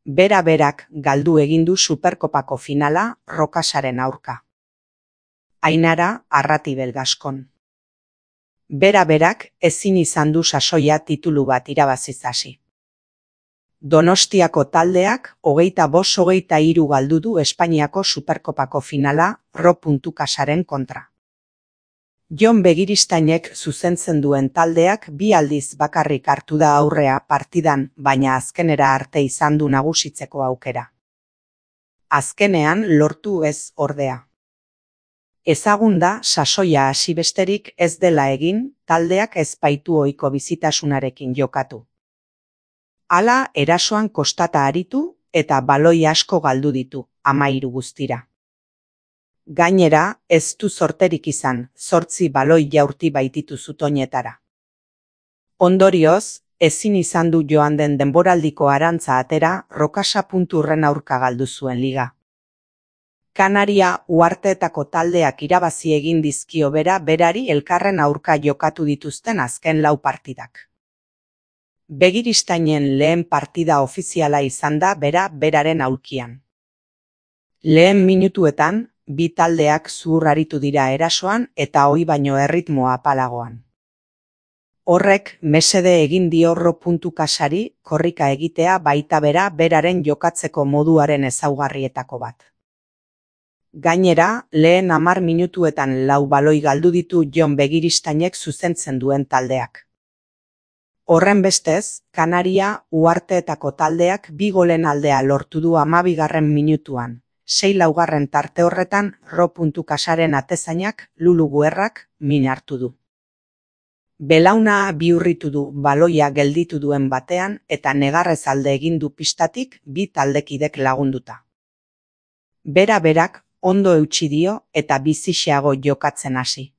Bera-berak galdu egin du Superkopako finala Rokasaren aurka. Ainara Arratibel Gaskon. Bera-berak ezin izan du sasoia titulu bat irabaziz hasi. Donostiako taldeak 25-23 galdu du Espainiako Superkopako finala Ro.Casaren kontra. Jon Begiristainek zuzentzen duen taldeak 2 aldiz bakarrik hartu da aurrea partidan, baina azkenera arte izan du nagusitzeko aukera. Azkenean lortu ez ordea. Ezagun da sasoia hasi besterik ez dela egin, taldeak ez baitu ohiko bizitasunarekin jokatu. Hala, erasoan kostata aritu eta baloi asko galdu ditu, 13 guztira. Gainera, ez du zorterik izan, 8 baloi jaurti baititu zutoinetara. Ondorioz, ezin izan du joan den denboraldiko arantza atera Rokasa.urren aurka galdu zuen liga. Kanaria uharteetako taldeak irabazi egin dizkio berari elkarren aurka jokatu dituzten azken 4 partidak. Begiristainen lehen partida ofiziala izan da beraren aulkian. Lehen minutuetan, 2 taldeak zuhur aritu dira erasoan eta ohi baino erritmoa apalagoan. Horrek mesede egin dio Ro.Casari korrika egitea baita beraren jokatzeko moduaren ezaugarrietako bat. Gainera, lehen 10 minutuetan 4 baloi galdu ditu Jon Begiristainek zuzentzen duen taldeak. Horrenbestez, Kanaria uharteetako taldeak 2 golen aldea lortu du 12. minutuan. 6-4 tarte horretan Ro.Casaren atezainak Lulu Guerrak min hartu du. Belauna bihurritu du baloia gelditu duen batean eta negarrez alde egin du pistatik 2 taldekidek lagunduta. Bera-berak ondo eutsi dio eta bizixeago jokatzen hasi.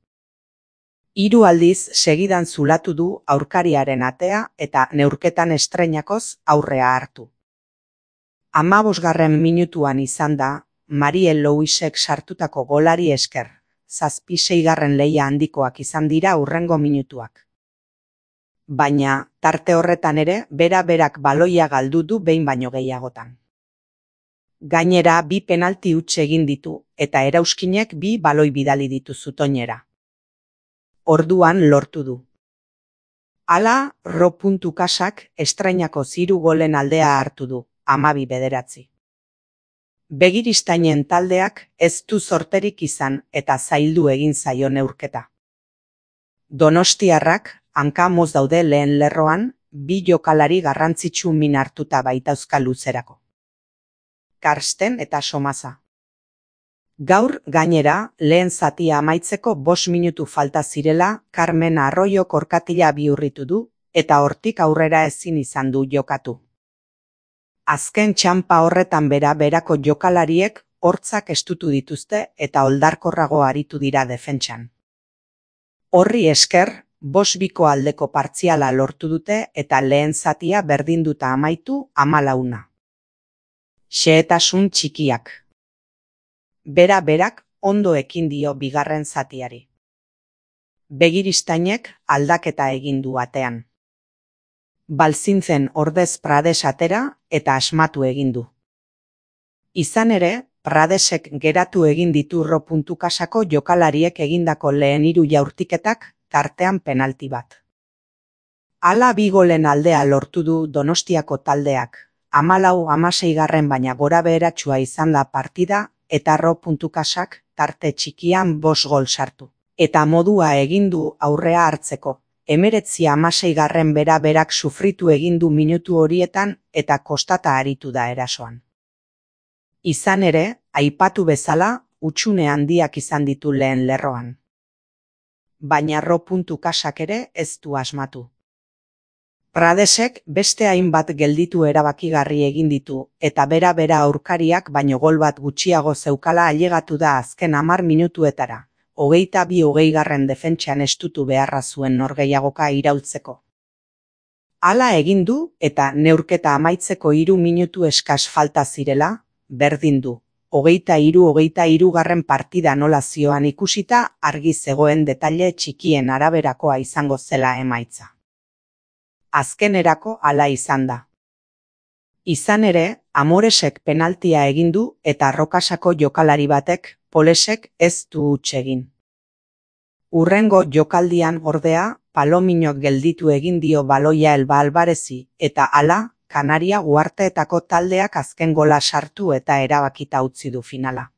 3 aldiz segidan zulatu du aurkariaren atea eta neurketan estreinakoz aurrea hartu. 15. minutuan izan da, Mariel Louisek sartutako golari esker, 7-6 lehia handikoak izan dira hurrengo minutuak. Baina, tarte horretan ere, bera-berak baloia galdu du behin baino gehiagotan. Gainera 2 penalti huts egin ditu eta Erauskinek 2 baloi bidali ditu zutoinera. Orduan lortu du. Hala, Ro.Casak estrainako 3 golen aldea hartu du, 12-9. Begiristainen taldeak ez du zorterik izan eta zaildu egin zaio neurketa. Donostiarrak hanka-moz daude lehen lerroan, 2 jokalari garrantzitsu min hartuta baitauzka luzerako. Karsten eta Somasa. Gaur, gainera, lehen zatia amaitzeko 5 minutu falta zirela Carmen Arroyo korkatila bihurritu du eta hortik aurrera ezin izan du jokatu. Azken txanpa horretan berako jokalariek hortzak estutu dituzte eta oldarkorrago aritu dira defentsan. Horri esker, 5-2 aldeko partziala lortu dute eta lehen zatia berdinduta amaitu 14. Xehetasun txikiak. Bera-berak ondo ekin dio bigarren zatiari. Begiristainek aldaketa egin du atean. Balzintzen ordez Prades atera eta asmatu egin du. Izan ere, Pradesek geratu egin ditu Ro.Casako jokalariek egindako lehen 3 jaurtiketak tartean penalti bat. Hala 2 golen aldea lortu du Donostiako taldeak, 14-16 baina gora beheratsua izan da partida eta Ro.Casak tarte txikian 5 gol sartu. Eta modua egin du aurrea hartzeko. 19-16 bera-berak sufritu egin du minutu horietan eta kostata aritu da erasoan. Izan ere, aipatu bezala, hutsune handiak izan ditu lehen lerroan. Baina Ro.Casak ere ez du asmatu. Pradesek beste hainbat gelditu erabakigarri egin ditu eta bera aurkariak baino gol bat gutxiago zeukala ailegatu da azken 10 minutuetara. 22-20 defentsan estutu beharra zuen norgehiagoka iraultzeko. Hala egin du eta neurketa amaitzeko 3 minutu eskas falta zirela, berdin du. 23-23 partida nola zioan ikusita argi zegoen detaile txikien araberakoa izango zela emaitza. Azkenerako hala izan da. Izan ere, Amoresek penaltia egin du eta Rokasako jokalari batek, Polesek, ez du huts egin. Hurrengo jokaldian ordea, Palominok gelditu egin dio baloia Elba Alvarezi eta hala, Kanaria Uharteetako taldeak azken gola sartu eta erabakita utzi du finala.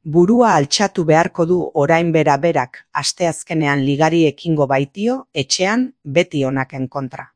Burua altxatu beharko du orain berak asteazkenean ligari ekingo baitio etxean beti onaken kontra.